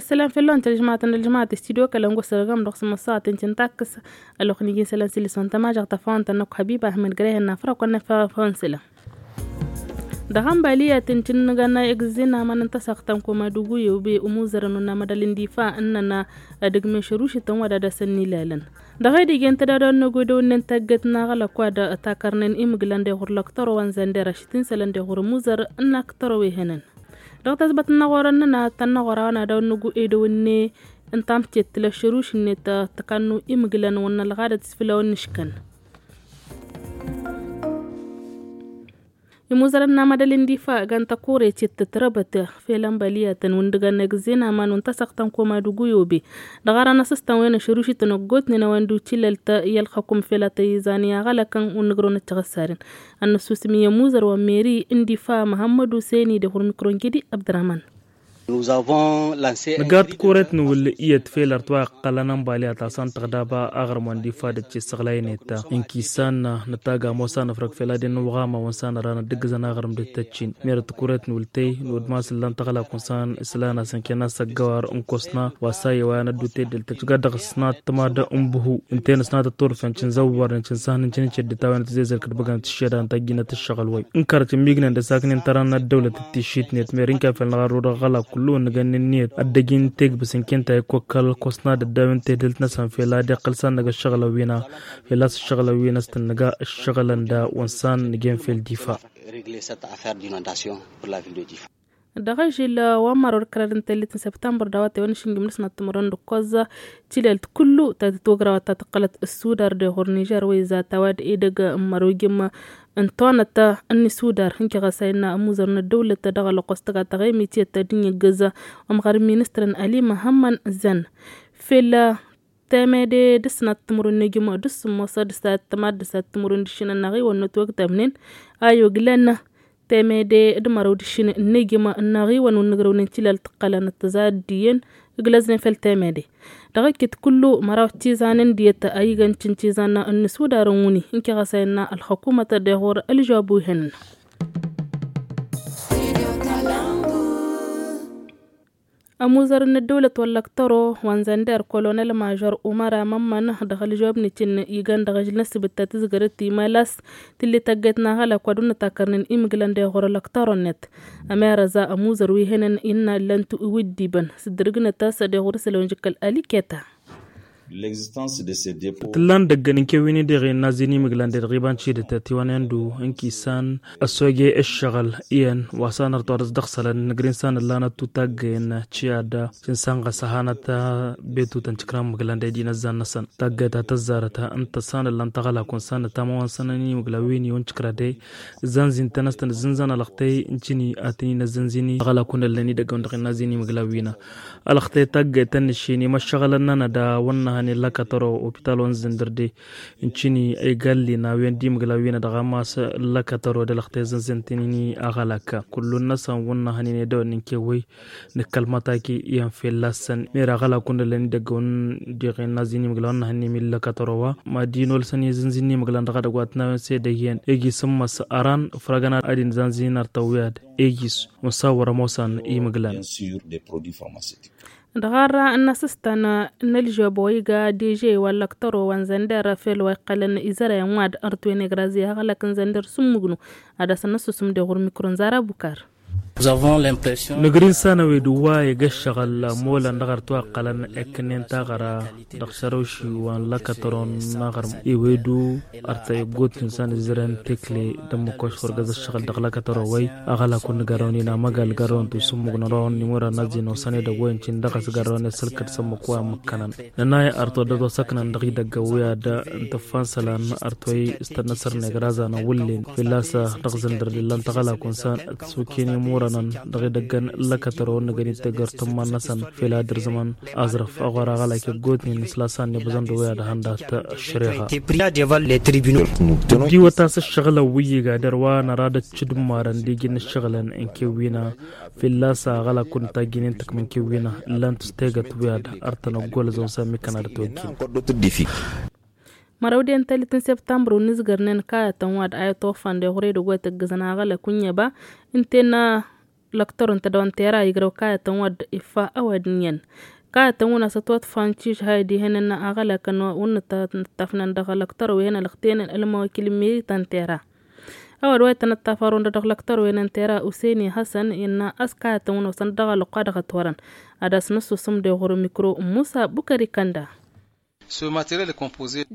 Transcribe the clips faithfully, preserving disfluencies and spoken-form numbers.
Sălam făll-ăwăn tălžmatăn ălžmat studio kălăn gosăr găm dăɣ-sămăssaɣăt n-cǝntakkǝs. Ălwăqq n-iji n-sălam s-ilǝs wăn tămažăɣt tăfawăn-tăn năkk hăbiba ahmed grehen n-afrăk wăn năfawăn sălam. Dăɣ-ănbaliya tǝncǝnnǝgăn egǝzzin aman n-tasăɣt ta n-koma d-uguyew be umuzărăn wăn amădal n-difa ǝnnăn ad-ǝgmen šărušităn wa d-ad-asăn n-ilalăn. Dăɣ-edigent d-ad-ăwănnogo d-ewănnen tagget n-aɣălăk wa d-takărnen imǝglan d-eɣur lăktăro wa n-zănder ašǝt n-isălăn d-eɣur imuzăr n-aktăro wi hănen. Dăɣ-tazbăt n-inăɣorăn n-ănna tănnăɣora wa n-ad-ăwănnogo ed ewănne n-tamtet tǝla šăruš-net tǝkannu imǝglan wăn n-ălɣadăt s-făll-a-wen n-ǝškăn. Imuzărăn n-amădal n-difa gan tăkuret i-tătrăbăt fel ănbăliyatăn wǝndǝgăn egǝzzen aman wǝn tăsăɣtăn koma d-uguyobe. Dăɣ-ara n-asǝstăn wen ašărušităn ăggootnen a-wen d-utilălt i-ălxăkum fel atăyizan i-aɣălăkăn wǝnnǝgrăwăn ăccăɣăssaren. Ad-năssusǝm i-imuzăr wa n-meri n-difa măhămmăd useni d-eɣur mikro n-kedi abdărăman. Nǝga tikuret n-wǝll iyyăt fel ărtwa iqqălăn ănbali ad-tasăn tăɣdaba aɣrǝm wa n-difa d-ăccessăɣlaynet. Inkisan nǝtag ămoos anăfrăg fel ad-inn-uɣama wăn s-anăra n-ad-dd-ǝggǝzăn aɣrǝm d-tăccin. Merăt tikuret n-wǝll tey n-wădmas ǝllan tăɣlakun s-an islan asănken asăggăwar n-kosna wa s-ayy wa n-ăddu teddelt tăcc ga dăɣ-s n-ad-tǝmad n-buhu. Ǝnta-en s-nat ătturfen cǝnzăwwărnen cǝnsahnăn cǝnǝced d-tawen tǝzezăl kăt-băgăn tǝššădan tajjinăt ǝššăɣǝl wăy. N-kărăt n-mignăn d-asaknen tăra n-ăddăwlăt d-tišitnet mer n-kafel n-aɣarru dăɣ-ɣălak kullu ǝnnăgăn ǝnniyăt ad-dăj-in tegbǝs n-kinta ikwăkkăl kosna d-ăddawen tehdǝlt-năsăn fel ad-iqqăl s-ad-năg ǝššăɣǝlăn wi n-a fel a-s ǝššăɣǝlăn wi n-ăstănnăga ǝššăɣǝlăn da wăn s-an nǝjen fel difa. Dăɣ-ažil wa n-mărăw d-kărad n-tellit n-săbtămbăr d-awătay wa n-ašǝnjǝm n-asnat timărăn d-ǝkkoẓ tilelt kullu ta tǝtwăgrăwăt ta tǝqqălăt ăssudar d-eɣur nižer wa izat a-wa d-edăgg n-mărăw jǝmm n-tonăt n-isudar n-kiɣăsay n-amuzăr n-ăddăwlăt dăɣ-ălɣos tăga taɣemit i-ăttădǝn iggǝz ămɣar n-ministrăn ali măhămmăn zăn fel temede d-asnat timărăn n-ejǝm d-asǝmmos d-asat tămad d-asat timărăn d-ašǝnăn n-aɣiwăn n-ătwăgtabnen a yoglăn temede d-mărăw d-ašǝn n-ejǝm n-aɣiwăn wǝnnǝgrăwnen tilal tǝqqălăn ăttăza d-iyyăn ǝglăznen fel temede. Dăɣ-ekit kullu măraw d-tizan n-diyyăt a igăn cǝncizan n-nǝsudarăn wǝni n-kiɣăsayăn n-ălxăkumăt d-eɣur ălžob wi hănăn. Ămuzăr n-ăddăwlăt wăllăk tăro wa n-zănder kolonel mažor umăr amămmăn dăɣ-ălžob n-icǝn igăn dăɣ-ažǝl n-ăsbǝt ta tǝzgărăt imalas tǝlli tăgget n-aɣălăk wa d-wǝnnǝtakărnen imǝglăn d-eɣur ălăk tăro-net. Ămerăza ămuzăr wi hănen innă ǝllan-tu iwǝddibăn s-dd-ǝrgǝnăt a-s d-eɣur isălan jǝkkăl aliketa. Tǝllan dăgg-ănnin kewǝyăn-i-dăɣ innă a-s d-inimǝglan d-edăɣ iba n-tidǝt tiwăn-en-du n-kisan ăssoge ǝššăɣǝl iyyăn wa s-anăr tuɣa dăɣ-s dăɣ-isălan nǝgrin s-anăllan ăttu taggăyăn. Ciadda s-insan ɣas ăhanăt betutăn tikra n-imǝglan d-edi n-ăzzan-năsăn taggăyăt a tăzzarăt ǝnta s-anăllan taɣălakun s-anăt amăwan s-anăn inimǝglan wi n-iwăn tikra de. Ǝzzanzin-tăn a-s tăn-ǝzzǝnzăn ălăxtăy n-tini ad-tăn-in-ăzzǝnzǝni taɣălakun ǝllan-i dăgg-ewăn dăɣ-innă a-s inimǝglan wi n-ălăxtăy taggăyăt ta n-ǝššin imăššăɣălăn-nănăɣ d-a-wa n-năhăn i-ǝllăkătăro opitalo n-zǝndăr de. N-tini a igalli n-a-wen d-imǝglan wi n-dăɣ-amas ǝllăkătăro d-ălăxtăy ǝzzǝnzǝn-tăn-in aɣălak. Kullu-năsăn wa n-năhăn i-nedăwăn n-kewăy nǝkkăl mătaki iyyăn fălla-săn mera aɣălakun ǝllăn-i dăgg-ewăn diɣen n-a-s d-inimǝglan wa n-năhăn n-imǝllăkătăro wa mad-inolsăn i-zǝnzǝn n-imǝglan dăɣ-edăgg wa tǝnawăn s-edăgg iyyăn egi s-ǝmmăs ăran fărăgăn ad-inzanzǝn artăw wi-ad egi s-unsa wăr-ămoosăn imǝglan. Dăɣ-arra n-asǝstan n-ălžăbo iga deže wa n-lăktăro wa n-zănder fel wa iqqălăn izărăyăn wa d-ărtwen egrazi aɣălăk n-zănder s-ǝmmǝgnu ad-asăn-năssusǝm d-eɣur mikro n-zara bukar. Nǝgrin s-anăwed wa iga ǝššăɣǝl molăn dăɣ-ărtwa iqqălăn eknen taɣăra dăɣ-šărăwši wa n-lăkătăro n-aɣrǝm iwedu ărtăy ăggootnen s-anǝzzărăn tekle d-ămmăkoš wăr găzăt šăɣǝl dăɣ-lăkătăro wăy. Aɣălakun n-gărrăwăn inamăgal gărrăwăn tusǝmmǝg n-orăwăn n-imurăn n-azzin osăn edăgg wăy n-tin dăɣ-s gărrăwăn isălkăd s-ămmăk wa ămmǝkkănăn nănay ărtodăt osăknăn dăɣ-idăgg ăwwiyad n-tǝffan isălan ărtoy s-tănnăsăr n-egrazan ăwwǝllen fălla-s dăɣ-zǝndăr d-ǝllan tăɣălakun s-an ǝtsuken imurănăn dăɣ-idăggăn n-lăkătăro n-năgănit tegăr tǝmman-năsăn fel ad-ǝrzǝmăn aẓrǝf ăɣora aɣălak iggotnen s-lasan n-ibǝẓăn d-ăwwiyad hăndat ăššăreɣa. Diwăt a-s ǝššăɣǝlăn wi iga dăr-wa năra d-ăccǝdǝmmarăn d-iji n-ǝššăɣǝlăn n-kewwina fălla-s aɣălak wăr n-tajjǝnen tǝkmǝn kewwina ǝllan-t s-tegăt wi ad-ărtăn ăggool ăzon s-ammi kănadăt wăjjin. Mărăw d-i n-tălit n-septămbru n-izgărnen kayătăn wa d-ayăt ofan d-eɣure d-ăggoyăt ǝggǝzăn aɣălak wǝnnyăba ǝnta-en. lăktăr n-tădăwăn tera igrăw kayătăn wa dd-iffa ăwadǝn iyyăn kayătăn wǝnna s-ătwăṭṭfan ciš hay dihen n-aɣălakăn wǝnnăt tăttăfnăn dăɣ-lăktăr wi hen ălăxtenen ălmawăkil n-meri ta n-tera. Ăwadǝm wa itănăt tafarun dăɣ-lăktăr wi hen n-tera useni hasăn innă a-s kayătăn wǝnna osăn dăɣ-alăqqa dăɣ-ătwărăn ad-asnăssusăm deɣ ɣur-mikro n-musa bukări kănda.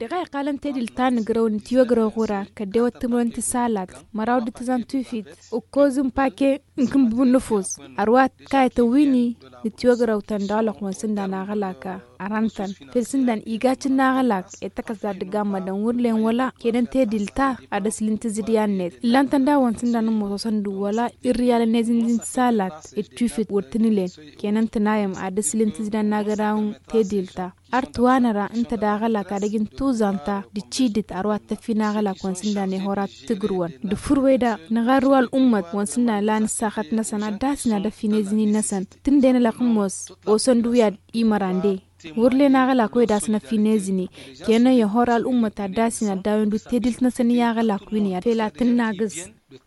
Dăɣ-a iqqalăn tedil ta n-igrăw n-tiwăgrăw ɣur-a kăddew ăttǝmrăwăn tisalat măraw d-tǝzan tufit ǝkkoz n-pake n-kǝnbǝb n-nǝfus. Ărwa kayătăn wi-ni n-tiwăgrăwtăn dăɣ-alăqq wa n-sǝndan aɣălak arantăn fel sǝndan igacǝn n-aɣălak i-tăkăs dadd-gammădăn wăr len wăla kenăn tedil ta ad-ăslǝn tǝzǝdya-net ǝllan-tăn daw-wăn sǝndan n-mososăn d-wăla irriyalăn ezǝnzǝn tisalat d-tufit wăr tǝnǝlen kenăn tǝnayăm ad-ăslǝn tǝzǝdya n-agădaw n-tedil ta. Ărtǝwanăra ǝnta d-aɣălak ad-ăj n-tuzan ta d-cidǝt ărwa t-tăffi n-aɣălak wa n-sǝndan ehora tǝgrǝwăn d-fǝrweda nǝɣarrǝw al'ummăt wa n-sǝndan ǝla n-ǝssaxăt-năsăn ad-dd-asin ad-ăffi n-ezǝni-năsăn tǝnden ălăqmos osăn d-uya d-imărande. Wăr len aɣălak wa i-dd-asnăffi n-ezǝni kenăn ehora al'ummăt ad-dd-asin ad-dd-awen d-tedil-năsăn i-aɣălak wi n-iyyăḍ fel ad-tǝnnagǝz.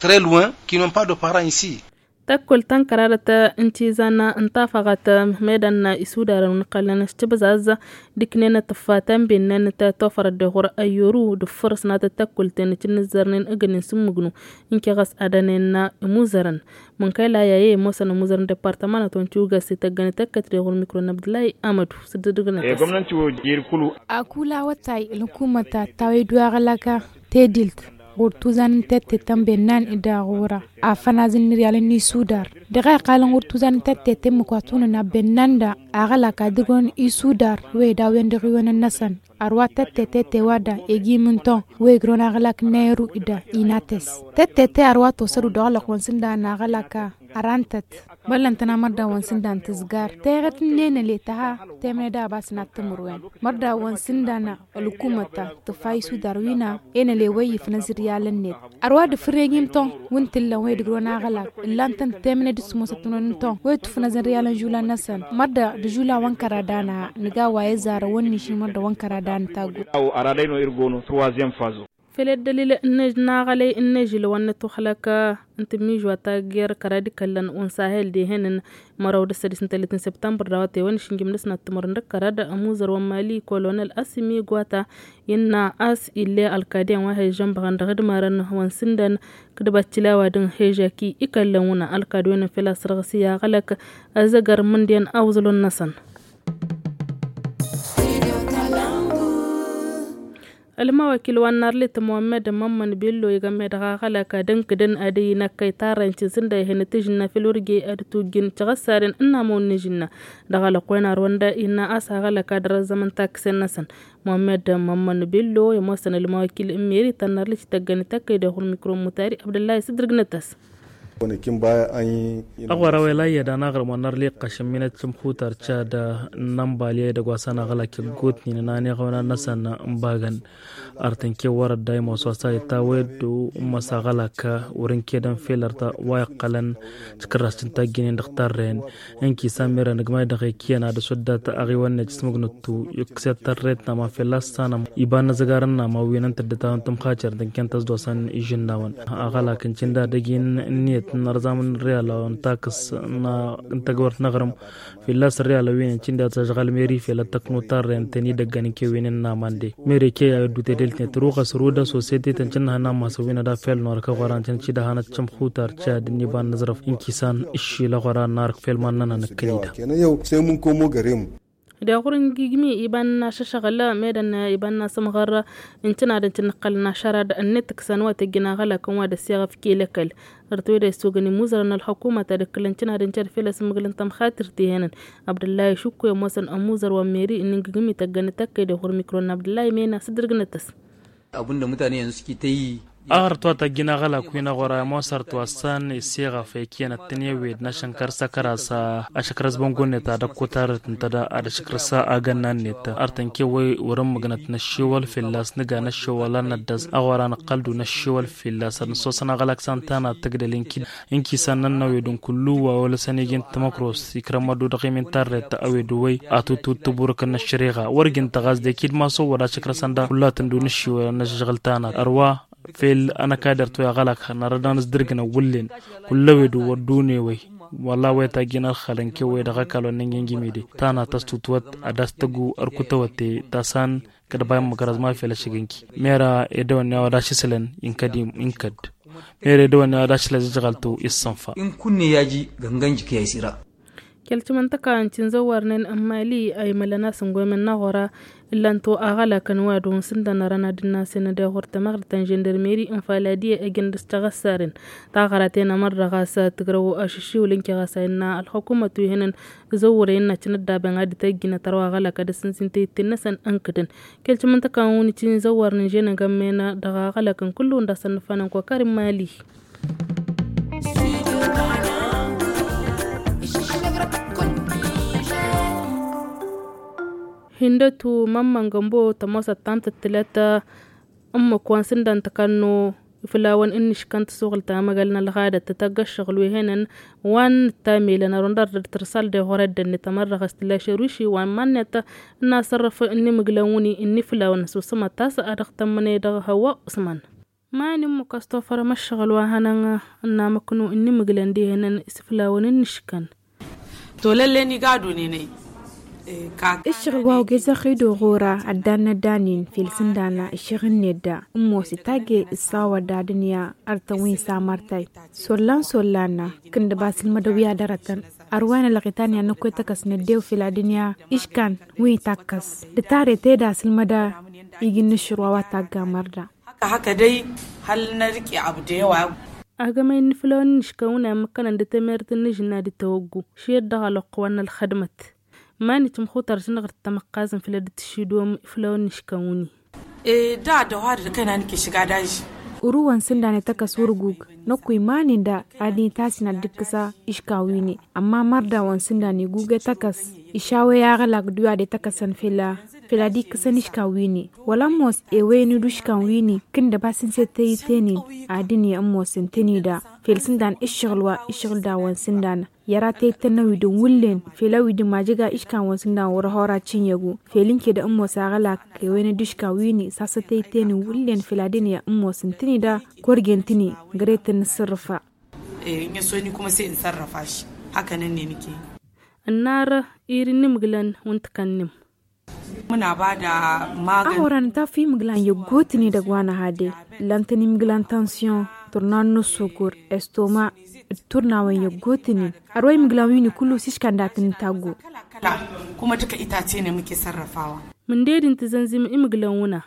Très loin qui n'ont pas de parents ici. Tăkkul tănkăradăt n-tizan n-tafăɣăt medan isudarăn wi n-iqqălăn s-tibzaz d-iknen tǝffa tambennan tătofărăt deɣ ɣur-ăyyoru d-făr s-natăt tăkkul tenăt n-nǝzzărnen ǝgǝnen s-ǝmmǝgnu n-keɣăs ad-ănen imuzărăn. Mǝnkăyla i-aye ămoosăn imuzărăn departămanăt wa n-tiwǝgăs ităggăn ităkkăt deɣ ɣur-mikro n-abdǝlay amădu s-dd-ǝdǝgnăt. Akula awătay ălhukumăt ta tawăy-dd wa aɣălaka tedilt ɣur-tuzan n-tette ta n-bennan d-aɣura afăn azǝnnǝr i-alăn isudar. Dăɣ-a iqqalăn ɣur-tuzan n-tette ta ǝmmǝk wa tunăn abbennan da aɣălak ad-ǝgrǝwăn isudar wa ed a-wen dăɣ-iwănăn-năsăn. Ărwa tette tette wa da egi imǝnton wa igrăwăn aɣălak n-ayeru da inates tette te ărwa tosădu dăɣ-alăqq wa n-sǝndan aɣălak arantăt. Băllăn-tăn amărda wa n-sǝndan tǝzgar teɣăt n-enăle tăha temăne da abas n-ad-tǝmǝrwen mărda wa n-sǝndan ălhukumăt ta tǝffa isudar wi n-a enăle wa iyyǝfnăz ǝryalăn-net. Ărwa d-fǝrreg imtăn wi n-tǝllăn wa idǝgrǝwăn aɣălak ǝllan-tăn temăne d-ǝssǝmosăt n-wi n-tăn wa itufnăzăn ǝryalăn žulan-năsăn mărda d-žulan wa n-kăradan a nǝga wa i-zarăn wa n-nišin mărda wa n-kăradan n-taggu. Fel ăddălil n-ežil n-aɣălăy n-ežil wa n-ătuxlăk n-tǝmmižwa tagger kăra d-ikăllăn unsahel d-ehănăn măraw d-ăssădis n-tăllit n-săbtămbăr d-a-wa tewăn išǝnjǝm dăɣ-s n-ad-tǝmăr n-dăɣ-kărad ămuzăr wa n-mali kolonel asǝmi gwata innă a-s ill'-e ălkad iyyăn wa he-ižžănbăɣăn dăɣ-idmarăn wa n-sǝndăn kǝdbăt tilawa dăɣ-n he-ižaki ikăllăn wǝnna ălkad wen n-fel a-s sărɣǝs i-aɣălăk ăzzăgăr mǝndăn awǝẓlon-năsăn. Ălmawăkil wa n-narlit muhammed mămmăn billo igămme dăɣ-aɣălăk ad-ǝnkǝdăn ad-ăyy n-ăkkăy tarrăy n-tisǝnda ihănăt ižǝnna fel wăr ge ad-tujjǝn tiɣăssaden ǝnnamăwăn n-ižǝnna dăɣ-alăqq wen arwăn da innă a-s aɣălăk ad-răzzămăn takkǝsen-năsăn. Muhammed mămmăn billo i-ămoosăn ălmawăkil n-meri ta n-narlit ităggăn ităkkăy dăɣ-ɣur-mikro n-mutari abdăllah isǝddǝrgnăt-as. Ăɣora wa ila iyyăd anaɣrǝm wa n-arliqqăš ǝmminăt šǝmxutar cad n-ănbali edăgg wa s-ănaɣălak iggutnin n-aniɣăwnan-năsăn n-ibagăn. Ar tǝnke wăr-ădday imoos wa s-a itawăyăddu n-imăs aɣălak wăr-ǝnkedăn fel ărta wa iqqălăn tikǝrrast n-tagginen dăɣ-tarren. Ǝnki s-a mera nǝgmay dăɣ-ekiyăn ad-ăswăddat aɣiwăn-net s-mǝgnǝttu ikkǝset tărret n-aman fel a s-sanăm iba n-azăgar n-aman wi n-ǝntăddăt a n-tǝmxacer d-ǝnken tăzdosăn ižǝnnawăn. Aɣălak n-cǝnda dăgg-i n-ǝnniyăt n-ărzamăn n-riyal n-takǝs n-tăgwărt n-aɣrǝm fălla-s ărriyalăn wi n-ăncǝnda tăžɣăl meri fel ad-tăknu tarrăyăn ten-i dăgg-ănn kewăynen n-aman de. Meri key a iddut edelt-net ruɣăs rudă sosete tăn-cǝnnăhăn n-amasăn wi n-ad-afel n-orăk ăɣora n-tăn-cǝdăhănăt cǝmxutar cad n-iba n-năzrăf n-kisan ǝššil ăɣora n-arăk fel ma n-nănănăkkăn-i-dăɣ. Deɣ ɣur-ingigmi iba n-ašăšăɣǝl medăn iba n-asǝmɣăr n-cǝnadăn cǝnnăqqălăn ašărad ănnetǝksăn wa tăjjăn aɣălakăn wa d-ăssiɣăf kelăkăl. Ărtăwed a isogăn imuzărăn n-ălxukumăt ad-ǝkkǝlăn cǝnadăn cad fel ăsmǝgǝlăn tămxatirt ihănăn. Abdăllah išǝkku i-ămoosăn ămuzăr wa n-meri n-ingǝgǝm ităggăn ităkkăy dăɣ-ɣur-mikro n-abdăllah imena s-dd-ǝrgǝnăt-as. Aɣrǝt wa tăjjăn aɣălak wi n-aɣora i-ămoosăr twassăn isiɣăf ekiyăn ăttănewed n-ašănkăr s-akăras ašăkrăs băngo-net ad-ăkkotarăt ǝnta da ad-ašăkrăs agănna-net. Ar tănke-wăy wăr-ǝmmǝgnăt năššiwăl fălla-s nǝga năššiwăl a n-năddăs aɣora nǝqqăl-du năššiwăl fălla-s ad-nǝssosăn aɣălak s-ănta n-ad-tǝgdăl inki. Inkisan n-ănnăwedun kullu wa olăsăn iji n-timăkros ikrămmădu dăɣ-emin tarret ăwedun wăy atutut tǝburǝkăn n-ăššăreɣa wăr jǝnta ɣas dekid maso wăr ašăkrăsăn da kullatăn dun ǝššiwălăn n-ašăšɣǝl-ta n-ad-ărwa fel ănăkadăr toy aɣălak hărnarăd anǝzdǝrgǝnăn wǝllen. Kull-ăwedun wăr dunewăy Wălla wăyăt a gin ălxalăn kew wăyăt dăɣ-ăkall wa n-ănjănjămede ta n-ad-tăstutwăt ad-dăɣ-s tăggu ărkutăwăt ta s-han kădăbayăn măkăraẓ ma fel ăššăgǝnki. Mera edăwănne a-wa dašǝslăn inkăd inkăd. Mera edăwănne a-wa dašǝslăn zǝjɣaltu issănfa. Inkunne i-aji găngănjǝk i-aysira. Kăl-timǝntăka n-tinzăwwarnen n-mali a imălăn a-s n-goymen n-aɣora. Ǝllan-t aɣălakăn wa dăɣ-wăn sǝndan arăn ad-dd-nasen ad-iɣur tamăɣrǝt ta n-žăndărmeri n-faladiye ăjăn dăɣ-s căɣăssaren. Taɣăraten amăr dăɣ-a-s tǝgrăw ašǝššiwǝl n-kiɣasa innă ălxukumăt wi hǝnăn. Zăwwăre innă cǝnăddaben ad-dd-tăjjǝnăt ărwa aɣălak ad-ăssǝnzǝn tăyǝtten-năsăn ǝnkǝdăn. Kăl-timǝntăka n-wăn itinzăwwarnen žănăgămmena dăɣ-aɣălakăn kullu-wăn dăɣ-săn nǝffanăn kokarin mali. Hindătu mămmăngămbo tămoosăt ta n-tǝttǝlăt ǝmmǝk wa n-sǝndan tăkannu iflawăn ǝnnǝškăn tăsuɣǝl tamăgăl n-ălɣadăt tătăgg ăššăɣǝl wi hănen wa n-ǝttamelăn ărundăr d-tǝrsal d-iɣurăddănnet ămăr dăɣ-s tǝlla šăruši wa n-iman-net. Ǝnnasărrăf ǝnnimǝglăn wǝni ǝnniflawăn s-usǝmăt ta s-ad-dăɣ-tămmăne dăɣ-hăwwa usman. Mani ǝmmǝk ăstofărăm ăššăɣǝl wa hănăn ǝnnamăknu ǝnnimǝglăn d-ihănăn isǝflawăn ǝnnǝškăn. Tolăllen igadu nenăy. Ǝššăɣǝl wa ogezăɣ i-dd-oɣora ăddan n-ăddanen fel sǝndana ǝššăɣǝl-net da ǝmmos itagge ǝssawăd d-adǝnya. Ărtăn wi n-samărtay sollan sollan kǝndăba sǝlmădăw i-ad-ărătăn. Ărwen ălɣitan i-ad-năkk i-tăkăs n-ăddew fel adǝnya iškan wi n-takkăs d-tare tedă sǝlmăda. Iji n-aššăr wa wa tagga mărda. Haka haka dăy hal n-ărǝke abdăyăwa. Agămăy n-iflawăn n-iškawǝn a imǝkkănăn d-temert n-ažǝnna d-tawăggu šiyăt dăɣ-alăqqu wa n-ălxădmăt. Iman-i tǝmxutăr žǝnɣăr d-tamăqqazăn făll-ad-dd-tǝššidom iflawăn n-iškawǝn-i. Eda dăɣ-wa d-kăynan kešǝg ad-ažžǝ. Urǝwăn sǝndan ităkăs wăr-gug năkk wi iman-i da ad-itasǝn ad-dd-ǝkkǝsa iškawǝn-i. Ămma mărdawăn sǝndan igug i-tăkăs išaw i-aɣălak d-wi ad-ităkăsăn făll-a făll-ad-ikkǝsăn iškan win-i. Wăla ămoos ewăyăn-dd uškan win-i kǝndăb asǝnse tăyǝten-in. Ad-ǝnni ămoosăn tăn-ida făll-sǝndan ǝššăɣǝl wa ǝššăɣǝl dawăn sǝndan. Yăra tăyǝtăn n-awidǝn wǝllen făll-awidǝn majăga iškan wăn sǝndan wăr-ăhora cǝnyăgu făll-ǝnke da ămoos aɣălak ewăyăn-dd uškan win-i sasă tăyǝten-in wǝllen făll-ad-ǝnni ămoosăn tăn-ida. Korgen-tăn-i găre-tăn n-sărrăfa. N-e-s wăyăn-i kuma se n-sărrăfa-š. Hakăn ǝnnin ike. Ǝnnar ir-inǝmgǝlăn wa n-tikănnim. Mǝnabada magăn. Aɣora nǝtaf imǝglan i-ăggootnen dăgg-wa n-ehade ǝllan-tăn imǝglan tansyon turnan n-ăssukǝr estoma d-turnawăn i-ăggootnen. Ărwa imǝglan wi n-ikullu s-iškan datăn n-taggo. Kuma tǝkăy itaten i-mǝke sărrăfawa. Mǝnded n-tǝzănzim imǝglan wǝna.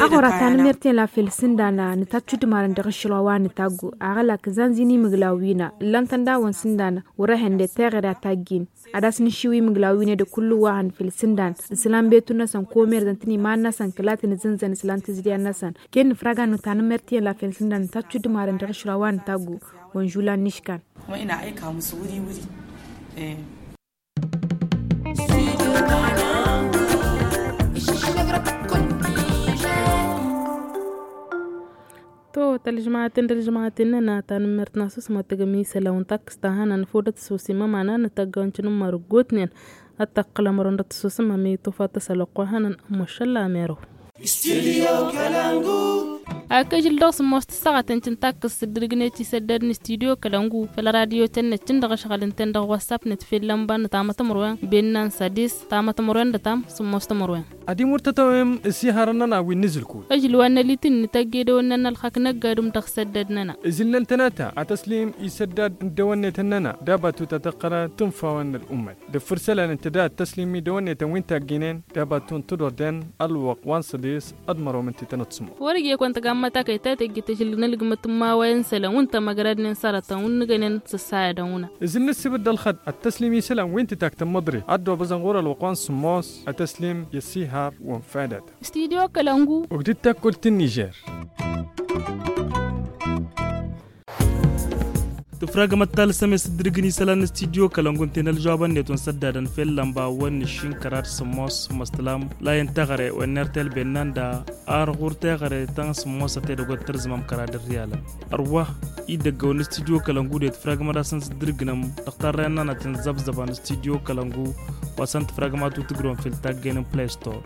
Aɣora tanǝmert i-la fel sǝndana nǝtačču d-imarăn dăɣ-ašăl wa wa n-taggo aɣălak zanzin imǝglan wina ǝllan-tăn dawăn sǝndana wăr-ehănde teɣăre a taggin. Ad-as-nǝššiw imǝglaw-win-e d-kullu wa hăn făll-sǝndan islan betun-năsăn komerzăn-tăn iman-năsăn kăla tăn-izǝnzăn islan tǝzǝdyan-năsăn. Ken nǝfrag ad-nǝwta nǝmărtiyăn la făll-sǝndan nǝtačču d-imarăn dăɣ-ašra wa n-taggu. Wănžulan n-iškan. Kuma ina aika musu wări-wări. To tălžmaten dălžmaten-nănăɣ tanǝmmert n-asusmăt tǝgǝm isălan wi n-takkǝst ta hănăn făw dăt-ăsusǝm ămanăn n-tăggaw n-tinǝmmăr ăggootnen. Ad-tăqqǝlăm ărun dăt-ăsusǝm ămit tufat tăsălăqq wa hănăn. Ămmoššăl la ămerăw. Studio kalangu. Ak ažǝl dăɣ-sǝmmos tǝssaɣăten cǝntakkǝst s-dd-ǝrgnet isăddad n-studio kalangu făll-radyo-ten-net cǝndăɣ ăšɣăl ǝnta-en dăɣ-wassap-net făll-lămba n-tamătămărwen benna n-sadis tamătămărwen d-ătam sǝmmos tămărwen. Ad-imur tătawem ǝsihărăn-nănăɣ wi n-inǝzǝlkul. Ažǝl wa n-ălitǝnni tăgg edăwănna n-ălxak năgg adǝm dăɣ-isăddad-nănăɣ. Ǝzǝlnăn tănata ad-tăslim isăddad n-dăwănnetăn-nănăɣ d-abatut ad-tăqqălăn tunfawăn n-ălumăt d-afǝrsălăn ǝnta da ad-tăslim idăwănnetăn wi n-tagginen d-abatut n-tădorden ălwăqq wa n-săḍis. Ad-mărwăm ǝnta tănăt-sǝmmos. Wăr-ija i-kăwăn tăgammăt akăy ta tăjjǝt ažǝl n-ălgǝmăt n-imawăyăn isălan wi n-tămăgradnen s-arătăn wi n-nǝgănen s-ăssayădăn wǝnna. Ǝzǝl n-ǝssǝbǝd d-ălxăd ad-tăslim isălan wi n-tǝtak tămmăḍre ad-dd-obăẓăn ɣur-ălwăqq wa n-sǝmmos. Ad-tăslim i-ăssihar wa n-fadăt. Studio kălăngu. Ugdǝd takkult n-nižer. Tǝfragămăt talǝsăm i-sǝddǝrǝgǝn isălan n-studio kălăngu ǝnta-en ălžawăbăn-net wa n-săddadăn fell-lămba wa n-nǝššin kăraḍ sămmos măstălam la i-n teɣăre wa n-ertel bennan da ar ɣur-teɣăre ta n-sămmos a tedăgg wa t-tărzǝmăm kăraḍ ǝrriyalăn. Ărwa idăgg-awăn n-studio kălăngu de tǝfragămăt a-s n-sǝddǝrǝgǝnăm dăɣ-tarrăyăn-nănăt n-zăbzăba n-studio kălăngu wa s-ănn tǝfragămăt wi tǝgrǝwăm fell-taggayen n-play store.